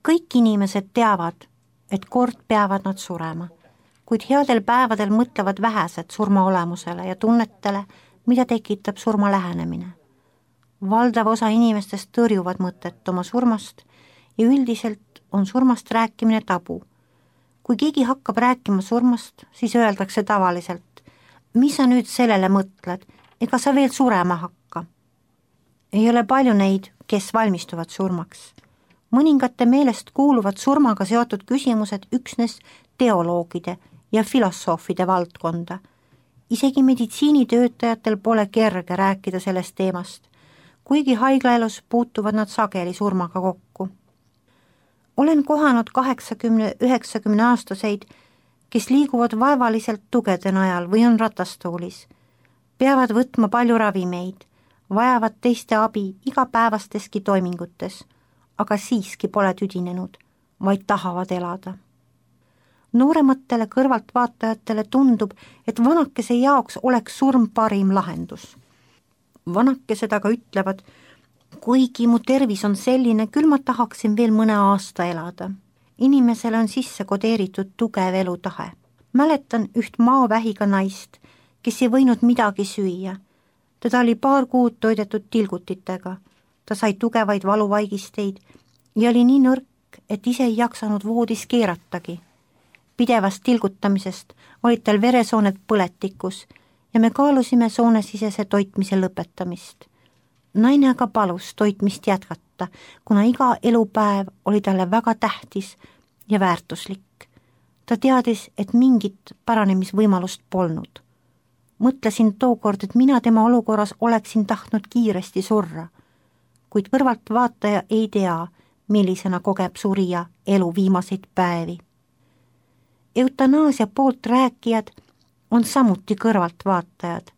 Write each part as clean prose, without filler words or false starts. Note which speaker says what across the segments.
Speaker 1: Kõik inimesed teavad, et kord peavad nad surema, kuid headel päevadel mõtlevad vähesed surma olemusele ja tunnetele, mida tekitab surma lähenemine. Valdav osa inimestest tõrjuvad mõtet oma surmast ja üldiselt on surmast rääkimine tabu. Kui keegi hakkab rääkima surmast, siis öeldakse tavaliselt, mis sa nüüd sellele mõtled, ega sa veel surema hakka. Ei ole palju neid, kes valmistuvad surmaks. Mõningate meelest kuuluvad surmaga seotud küsimused üksnes teoloogide ja filosoofide valdkonda. Isegi meditsiinitöötajatel pole kerge rääkida sellest teemast, kuigi haiglaelus puutuvad nad sageli surmaga kokku. Olen kohanud 80-90 aastaseid, kes liiguvad vaevaliselt tugede najal või on ratastoolis, peavad võtma palju ravimeid, vajavad teiste abi igapäevasteski toimingutes, aga siiski pole tüdinenud, vaid tahavad elada. Noorematele kõrvaltvaatajatele tundub, et vanakese jaoks oleks surm parim lahendus. Vanakesed aga ütlevad, kuigi mu tervis on selline, küll ma tahaksin veel mõne aasta elada. Inimesele on sisse kodeeritud tugev elutahe. Mäletan üht maovähiga naist, kes ei võinud midagi süüa. Teda oli 2 kuud toidetud tilgutitega. Ta sai tugevaid valuvaigisteid ja oli nii nõrk, et ise ei jaksanud voodis keeratagi. Pidevast tilgutamisest olid tal veresooned põletikus ja me kaalusime soonesisese toitmise lõpetamist. Naine aga palus toitmist jätkata, kuna iga elupäev oli talle väga tähtis ja väärtuslik. Ta teadis, et mingit paranemisvõimalust polnud. Mõtlesin tookord, et mina tema olukorras oleksin tahtnud kiiresti surra, kuid kõrvalt vaataja ei tea, millisena kogeb surija elu viimaseid päevi. Eutanaasia poolt rääkijad on samuti kõrvalt vaatajad.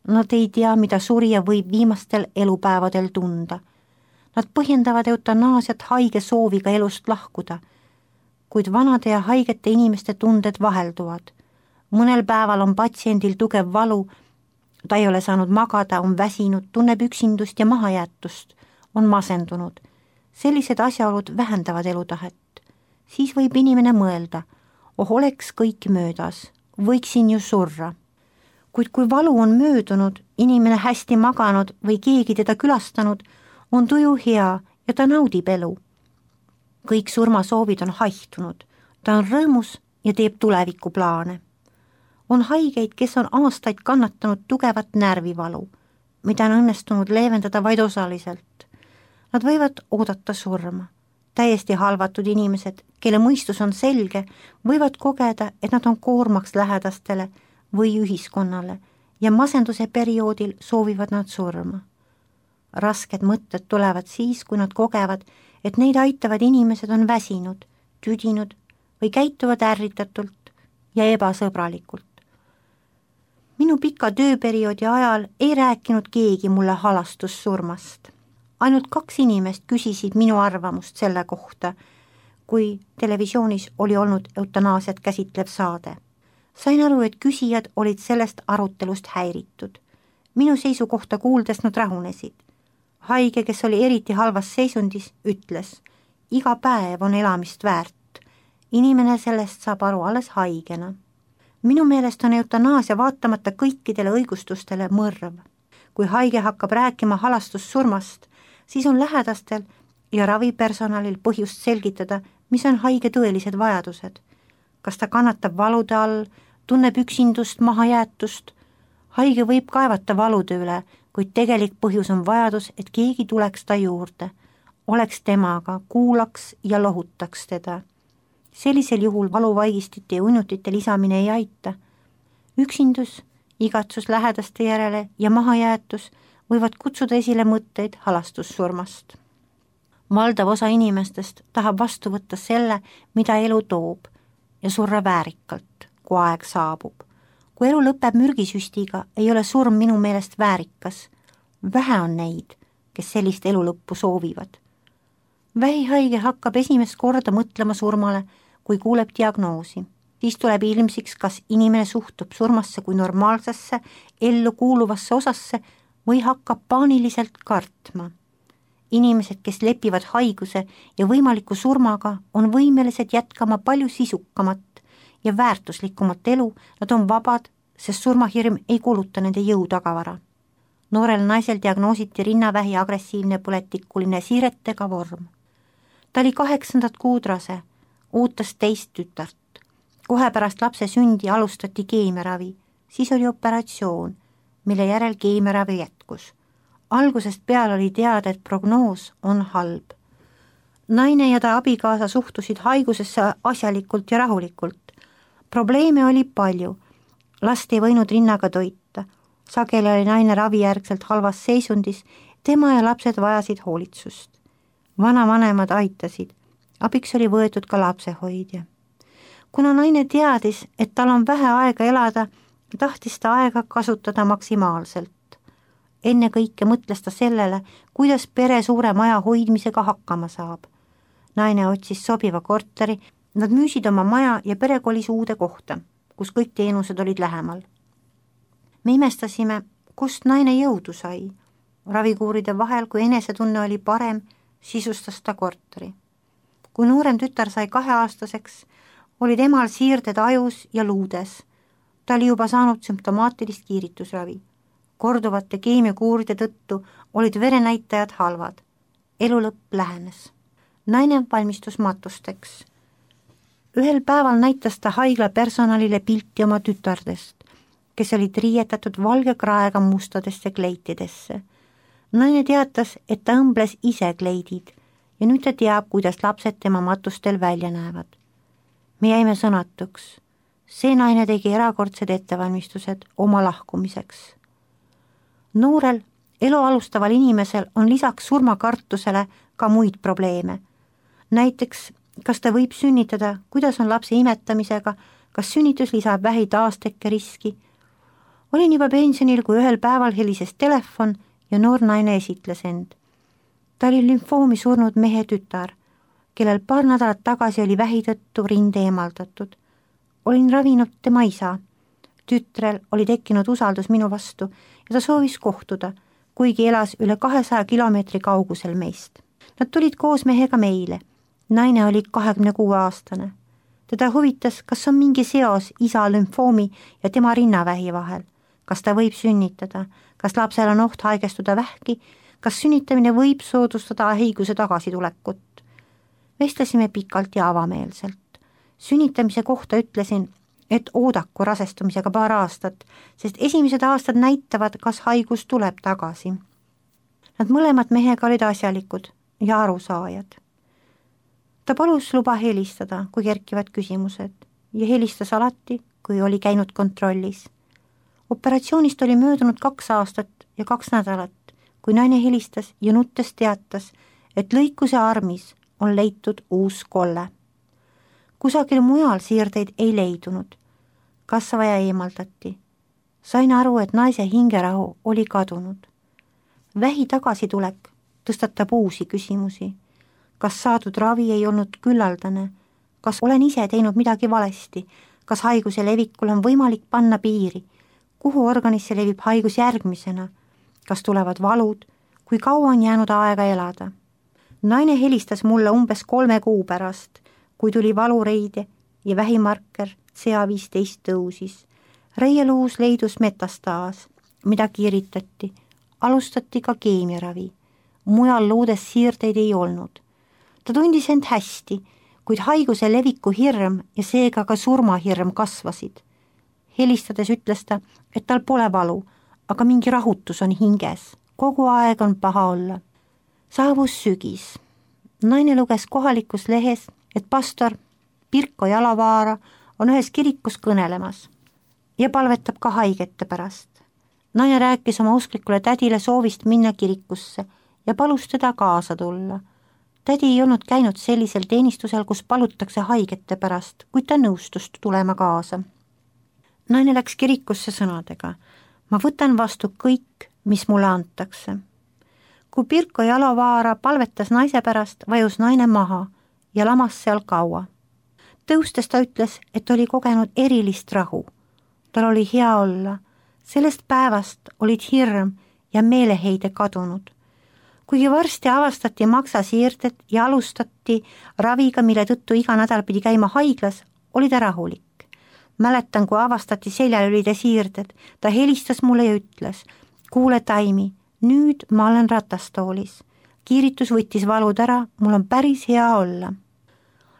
Speaker 1: Nad ei tea, mida surija võib viimastel elupäevadel tunda. Nad põhjendavad eutanaasiat haige sooviga elust lahkuda, kuid vanade ja haigete inimeste tunded vahelduvad. Mõnel päeval on patsiendil tugev valu, ta ei ole saanud magada, on väsinud, tunneb üksindust ja mahajäetust, on masendunud. Sellised asjaolud vähendavad elutahet. Siis võib inimene mõelda, oleks kõik möödas, võiksin ju surra. Kuid kui valu on möödunud, inimene hästi maganud või keegi teda külastanud, on tuju hea ja ta naudib elu. Kõik surmasoovid on haihtunud, ta on rõõmus ja teeb tulevikuplaane. On haigeid, kes on aastaid kannatanud tugevat närvivalu, mida on õnnestunud leevendada vaid osaliselt. Nad võivad oodata surma. Täiesti halvatud inimesed, kelle mõistus on selge, võivad kogeda, et nad on koormaks lähedastele või ühiskonnale ja masenduse perioodil soovivad nad surma. Rasked mõtted tulevad siis, kui nad kogevad, et neid aitavad inimesed on väsinud, tüdinud või käituvad ärritatult ja ebasõbralikult. Minu pika tööperioodi ajal ei rääkinud keegi mulle halastussurmast. Ainult 2 inimest küsisid minu arvamust selle kohta, kui televisioonis oli olnud eutanaasiat käsitlev saade. Sain aru, et küsijad olid sellest arutelust häiritud. Minu seisukohta kuuldes nad rahunesid. Haige, kes oli eriti halvas seisundis, ütles, iga päev on elamist väärt. Inimene sellest saab aru alles haigena. Minu meelest on eutanaasia vaatamata kõikidele õigustustele mõrv. Kui haige hakkab rääkima halastussurmast, siis on lähedastel ja ravipersonalil põhjust selgitada, mis on haige tõelised vajadused. Kas ta kannatab valude all, tunneb üksindust, mahajäetust? Haige võib kaevata valude üle, kuid tegelik põhjus on vajadus, et keegi tuleks ta juurde, oleks temaga, kuulaks ja lohutaks teda. Sellisel juhul valuvaigistite ja uinutite lisamine ei aita. Üksindus, igatsus lähedaste järele ja mahajäetus võivad kutsuda esile mõtteid halastussurmast. Valdav osa inimestest tahab vastu võtta selle, mida elu toob ja surra väärikalt, kui aeg saabub. Kui elu lõpeb mürgisüstiga, ei ole surm minu meelest väärikas. Vähe on neid, kes sellist elu lõppu soovivad. Vähihaige hakkab esimest korda mõtlema surmale, kui kuuleb diagnoosi. Siis tuleb ilmsiks, kas inimene suhtub surmasse kui normaalsesse, ellu kuuluvasse osasse või hakkab paaniliselt kartma. Inimesed, kes lepivad haiguse ja võimaliku surmaga, on võimelised jätkama palju sisukamat ja väärtuslikumat elu, nad on vabad, sest surmahirm ei kuluta nende jõutagavara. Noorel naisel diagnoositi rinnavähi agressiivne põletikuline siiretega vorm. Ta oli 8. kuud rase, ootas 2 tütart. Kohe pärast lapse sündi alustati keemiaravi, siis oli operatsioon, mille järel keemiaravi jätkus. Algusest peale oli teada, et prognoos on halb. Naine ja ta abikaasa suhtusid haigusesse asjalikult ja rahulikult. Probleeme oli palju. Last ei võinud rinnaga toita. Sageli oli naine ravijärgselt halvas seisundis, tema ja lapsed vajasid hoolitsust. Vanavanemad aitasid. Abiks oli võetud ka lapsehoidja. Kuna naine teadis, et tal on vähe aega elada, tahtis ta aega kasutada maksimaalselt. Enne kõike mõtles ta sellele, kuidas pere suure maja hoidmisega hakkama saab. Naine otsis sobiva korteri, nad müüsid oma maja ja pere kolis uude kohta, kus kõik teenused olid lähemal. Me imestasime, kust naine jõudu sai. Ravikuuride vahel, kui enesetunne oli parem, sisustas ta korteri. Kui noorem tütar sai 2-aastaseks, olid emal siirded ajus ja luudes. Ta oli juba saanud sümptomaatilist kiiritusravi. Korduvate keemiakuuride tõttu olid verenäitajad halvad. Elu lõpp lähenes. Naine valmistus matusteks. Ühel päeval näitas ta haigla personalile pilti oma tütardest, kes olid riietatud valge kraega mustadesse kleitidesse. Naine teatas, et ta õmbles ise kleidid ja nüüd ta teab, kuidas lapsed tema matustel välja näevad. Me jäime sõnatuks. See naine tegi erakordsed ettevalmistused oma lahkumiseks. Noorel, elu alustaval inimesel on lisaks surmakartusele ka muid probleeme. Näiteks, kas ta võib sünnitada, kuidas on lapse imetamisega, kas sünnitus lisab vähi taastekke riski. Olin juba pensionil, kui ühel päeval helises telefon ja noor naine esitles end. Ta oli lümfoomi surnud mehe tütar, kellel paar nädalat tagasi oli vähi tõttu rinde eemaldatud. Olin ravinud tema isa. Tütrel oli tekkinud usaldus minu vastu ja ta soovis kohtuda, kuigi elas üle 200 kilomeetri kaugusel meist. Nad tulid koos mehega meile. Naine oli 26-aastane. Teda huvitas, kas on mingi seos isa lümfoomi ja tema rinnavähi vahel. Kas ta võib sünnitada, kas lapsel on oht haigestuda vähki, kas sünnitamine võib soodustada haiguse tagasitulekut. Vestlesime pikalt ja avameelselt. Sünnitamise kohta ütlesin, et oodaku rasestumisega paar aastat, sest esimesed aastad näitavad, kas haigus tuleb tagasi. Nad mõlemad mehega olid asjalikud ja arusaajad. Ta palus luba helistada, kui kerkivad küsimused ja helistas alati, kui oli käinud kontrollis. Operatsioonist oli möödunud 2 aastat ja 2 nädalat, kui naine helistas ja nuttes teatas, et lõikuse armis on leitud uus kolle. Kusagil mujal siirdeid ei leidunud. Kasvaja eemaldati. Sain aru, et naise hingerahu oli kadunud. Vähi tagasitulek tõstatab uusi küsimusi. Kas saadud ravi ei olnud küllaldane? Kas olen ise teinud midagi valesti? Kas haiguse levikul on võimalik panna piiri? Kuhu organisse levib haigus järgmisena? Kas tulevad valud? Kui kaua on jäänud aega elada? Naine helistas mulle umbes 3 kuu pärast, kui tuli valureide ja vähimarker CA15 tõusis. Reieluus leidus metastaas, mida kiiritati. Alustati ka keemiaravi. Mujal luudes siirdeid ei olnud. Ta tundis end hästi, kuid haiguse leviku hirm ja seega ka surmahirm kasvasid. Helistades ütles ta, et tal pole valu, aga mingi rahutus on hinges. Kogu aeg on paha olla. Saabus sügis. Naine luges kohalikus lehes, et pastor Pirko Jalavaara on ühes kirikus kõnelemas ja palvetab ka haigete pärast. Naine rääkis oma usklikule tädile soovist minna kirikusse ja palus teda kaasa tulla. Tädi ei olnud käinud sellisel teenistusel, kus palutakse haigete pärast, kuid ta nõustus tulema kaasa. Naine läks kirikusse sõnadega: ma võtan vastu kõik, mis mulle antakse. Kui Pirko Jalavaara palvetas naise pärast, vajus naine maha ja lamas seal kaua. Tõustes ta ütles, et oli kogenud erilist rahu. Tal oli hea olla. Sellest päevast olid hirm ja meeleheide kadunud. kuigi varsti avastati maksasiirded ja alustati raviga, mille tõttu iga nädal pidi käima haiglas, oli ta rahulik. Mäletan, kui avastati seljalülide siirded, ta helistas mulle ja ütles, kuule Taimi, nüüd ma olen ratastoolis. Kiiritus võttis valud ära, mul on päris hea olla.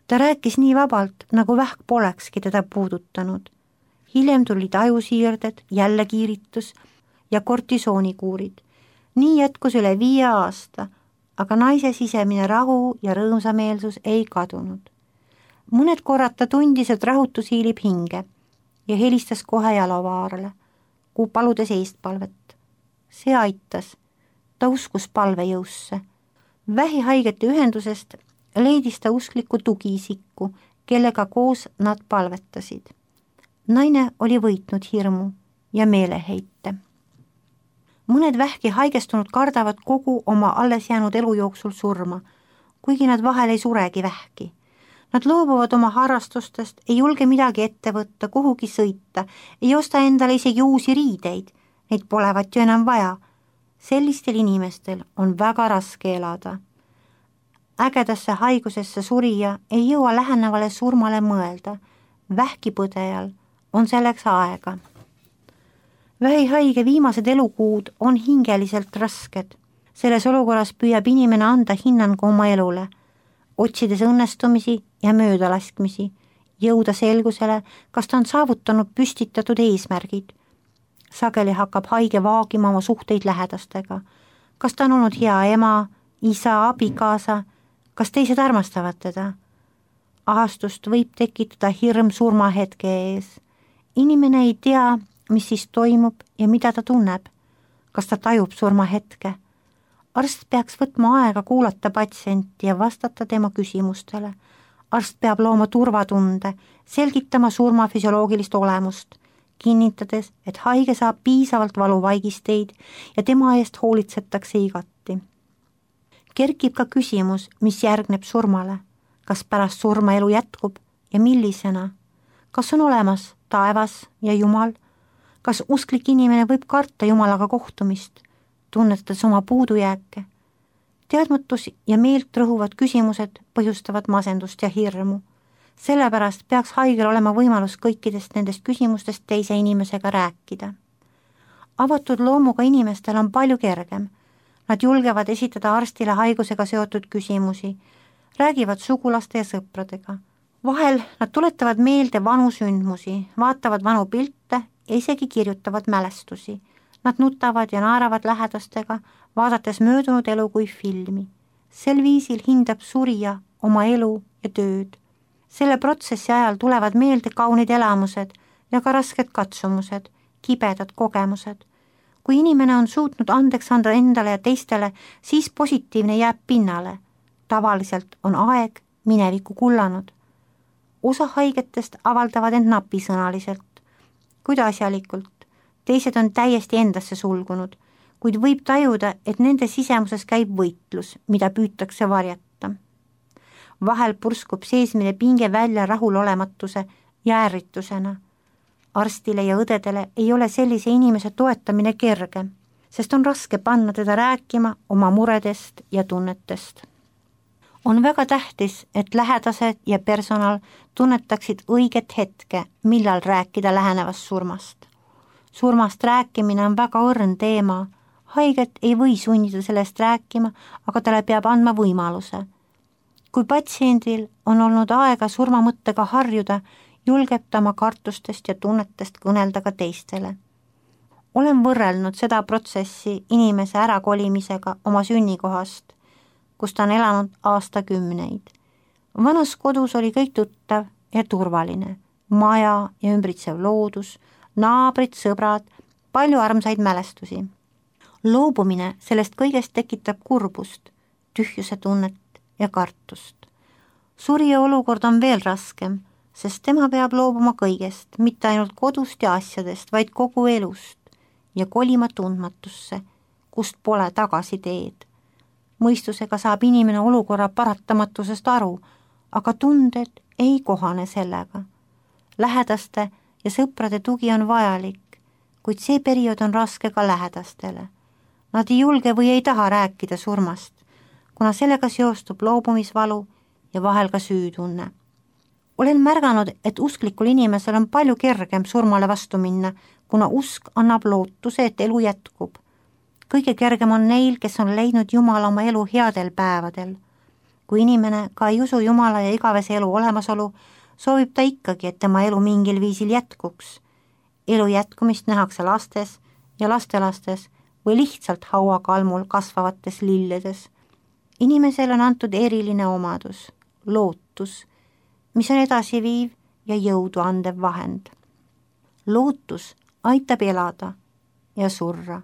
Speaker 1: Ta rääkis nii vabalt, nagu vähk polekski teda puudutanud. Hiljem tulid ajusiirded, jälle kiiritus ja kortisoonikuurid. Nii jätkus üle 5 aasta, aga naise sisemine rahu ja rõõmsameelsus ei kadunud. Mõned korrad ta tundis, et rahutus hiilib hinge ja helistas kohe Jalovaarale, paludes eestpalvet. See aitas. Ta uskus palvejõusse. Vähihaigete ühendusest leidis ta uskliku tugiisiku, kellega koos nad palvetasid. Naine oli võitnud hirmu ja meeleheite. Mõned vähki haigestunud kardavad kogu oma alles jäänud elu jooksul surma, kuigi nad vahel ei suregi vähki. Nad loobuvad oma harrastustest, ei julge midagi ette võtta, kuhugi sõita, ei osta endale isegi uusi riideid, neid polevat ju enam vaja. Sellistel inimestel on väga raske elada. Ägedasse haigusesse surija ei jõua lähenevale surmale mõelda. Vähkipõdejal on selleks aega. Vähihaige viimased elukuud on hingeliselt rasked. Selles olukorras püüab inimene anda hinnangu oma elule, otsides õnnestumisi ja möödalaskmisi, jõuda selgusele, kas ta on saavutanud püstitatud eesmärgid. Sageli hakkab haige vaagima oma suhteid lähedastega. Kas ta on olnud hea ema, isa, abikaasa, kas teised armastavad teda? Ahastust võib tekitada hirm surmahetke ees. Inimene ei tea, mis siis toimub ja mida ta tunneb. Kas ta tajub surmahetke? Arst peaks võtma aega kuulata patsienti ja vastata tema küsimustele. Arst peab looma turvatunde, selgitama surma füsioloogilist olemust, kinnitades, et haige saab piisavalt valuvaigisteid ja tema eest hoolitsetakse igati. Kerkib ka küsimus, mis järgneb surmale. Kas pärast surma elu jätkub ja millisena? Kas on olemas taevas ja Jumal? Kas usklik inimene võib karta Jumalaga kohtumist, tunnetades oma puudujääke? Teadmatus ja meelt rõhuvad küsimused põhjustavad masendust ja hirmu. Sellepärast peaks haigel olema võimalus kõikidest nendest küsimustest teise inimesega rääkida. Avatud loomuga inimestel on palju kergem. Nad julgevad esitada arstile haigusega seotud küsimusi, räägivad sugulaste ja sõpradega. Vahel nad tuletavad meelde vanu sündmusi, vaatavad vanu pilte ja isegi kirjutavad mälestusi. Nad nutavad ja naeravad lähedastega, vaadates möödunud elu kui filmi. Sel viisil hindab surija oma elu ja tööd. Selle protsessi ajal tulevad meelde kaunid elamused ja ka rasked katsumused, kibedad kogemused. Kui inimene on suutnud andeks anda endale ja teistele, siis positiivne jääb pinnale. Tavaliselt on aeg minevikku kullanud. Osa haigetest avaldavad end napisõnaliselt, kuid asjalikult. Teised on täiesti endasse sulgunud, kuid võib tajuda, et nende sisemuses käib võitlus, mida püütakse varjata. Vahel purskub seesmine pinge välja rahulolematuse ja ärritusena. Arstile ja õdedele ei ole sellise inimese toetamine kerge, sest on raske panna teda rääkima oma muredest ja tunnetest. On väga tähtis, et lähedased ja personal tunnetaksid õiget hetke, millal rääkida lähenevast surmast. Surmast rääkimine on väga õrn teema. Haiget ei või sunnida sellest rääkima, aga talle peab andma võimaluse. Kui patsiendil on olnud aega surmamõttega harjuda, julgeb ta oma kartustest ja tunnetest kõnelda ka teistele. Olen võrrelnud seda protsessi inimese ärakolimisega oma sünnikohast, kus ta on elanud aastakümneid. Vanas kodus oli kõik tuttav ja turvaline, maja ja ümbritsev loodus, naabrid, sõbrad, palju armsaid mälestusi. Loobumine sellest kõigest tekitab kurbust, tühjuse tunnet ja kartust. Surija olukord on veel raskem, sest tema peab loobuma kõigest, mitte ainult kodust ja asjadest, vaid kogu elust ja kolima tundmatusse, kust pole tagasi teed. Mõistusega saab inimene olukorra paratamatusest aru, aga tunded ei kohane sellega. Lähedaste ja sõprade tugi on vajalik, kuid see periood on raske ka lähedastele. Nad ei julge või ei taha rääkida surmast, kuna sellega seostub loobumisvalu ja vahel ka süütunne. Olen märganud, et usklikul inimesel on palju kergem surmale vastu minna, kuna usk annab lootuse, et elu jätkub. Kõige kergem on neil, kes on leidnud Jumala oma elu headel päevadel. Kui inimene ka ei usu Jumala ja igavese elu olemasolu, soovib ta ikkagi, et tema elu mingil viisil jätkuks. Elu jätkumist nähakse lastes ja lastelastes või lihtsalt hauakalmul kasvavates lilledes. Inimesele on antud eriline omadus, lootus, mis on edasiviiv ja jõudu andev vahend. Lootus aitab elada ja surra.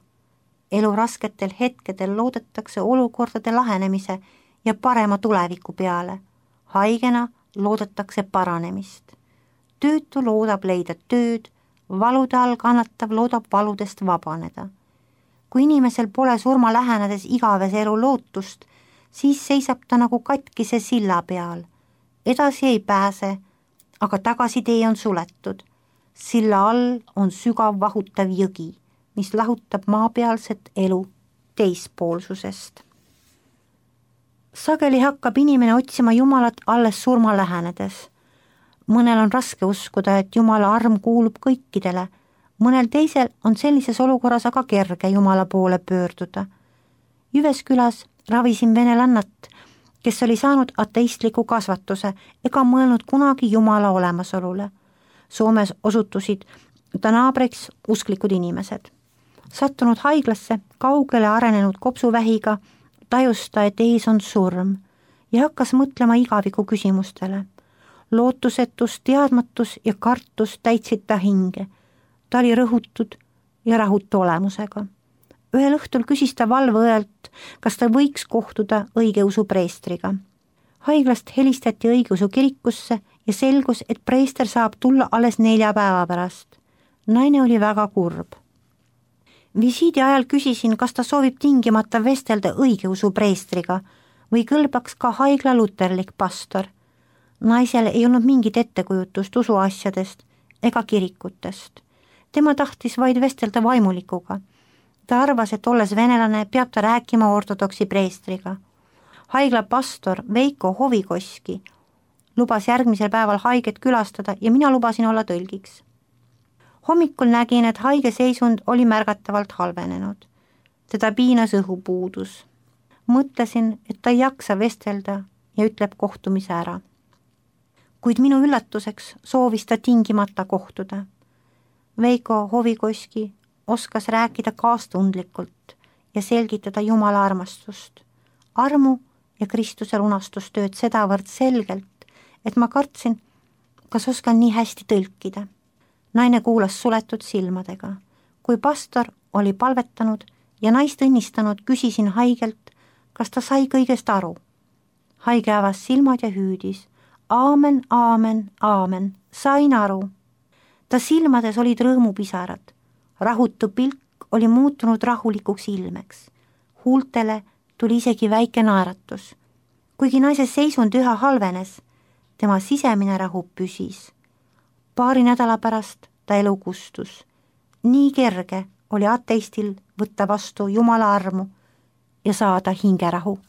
Speaker 1: Elu rasketel hetkedel loodetakse olukordade lahenemise ja parema tuleviku peale. Haigena loodetakse paranemist. Töötu loodab leida tööd, valude all kannatav loodab valudest vabaneda. Kui inimesel pole surma lähenedes igavese elu lootust, siis seisab ta nagu katkise silla peal. Edasi ei pääse, aga tagasitee on suletud. Silla all on sügav vahutav jõgi, mis lahutab maapealset elu teispoolsusest. Sageli hakkab inimene otsima Jumalat alles surma lähenedes. Mõnel on raske uskuda, et Jumala arm kuulub kõikidele, mõnel teisel on sellises olukorras aga kerge Jumala poole pöörduda. Jyväskyläs ravisin venelannat, kes oli saanud ateistliku kasvatuse ega mõelnud kunagi Jumala olemasolule. Soomes osutusid ta naabriks usklikud inimesed. Sattunud haiglasse kaugele arenenud kopsuvähiga tajus ta, et ees on surm ja hakkas mõtlema igaviku küsimustele. Lootusetus, teadmatus ja kartus täitsid ta hinge. Ta oli rõhutud ja rahutu olemusega. Ühel õhtul küsis ta valveõelt, kas ta võiks kohtuda õigeusu preestriga. Haiglast helistati õigeusu kirikusse ja selgus, et preester saab tulla alles 4 päeva pärast. Naine oli väga kurb. Visiidi ajal küsisin, kas ta soovib tingimata vestelda õigeusu preestriga või kõlbaks ka haigla luterlik pastor. Naisel ei olnud mingit ettekujutust usuasjadest ega kirikutest. Tema tahtis vaid vestelda vaimulikuga. Ta arvas, et olles venelane, peab ta rääkima ortodoksi preestriga. Haigla pastor Veiko Hovikoski lubas järgmisel päeval haiget külastada ja mina lubasin olla tõlgiks. Hommikul nägin, et haige seisund oli märgatavalt halvenenud. Teda piinas õhupuudus. Mõtlesin, et ta ei jaksa vestelda ja ütleb kohtumise ära. Kuid minu üllatuseks soovis ta tingimata kohtuda. Veiko Hovikoski oskas rääkida kaastundlikult ja selgitada Jumala armastust, armu ja Kristuse lunastustööd sedavõrd selgelt, et ma kartsin, kas oskan nii hästi tõlkida. Naine kuulas suletud silmadega. Kui pastor oli palvetanud ja naist õnnistanud, küsisin haigelt, kas ta sai kõigest aru. Haige avas silmad ja hüüdis. Aamen, aamen, aamen, sain aru. Ta silmades olid rõõmupisarad. Rahutu pilk oli muutunud rahulikuks ilmeks. Huultele tuli isegi väike naeratus. Kuigi naise seisund üha halvenes, tema sisemine rahu püsis. Paari nädala pärast ta elu kustus. Nii kerge oli ateistil võtta vastu Jumala armu ja saada hingerahu.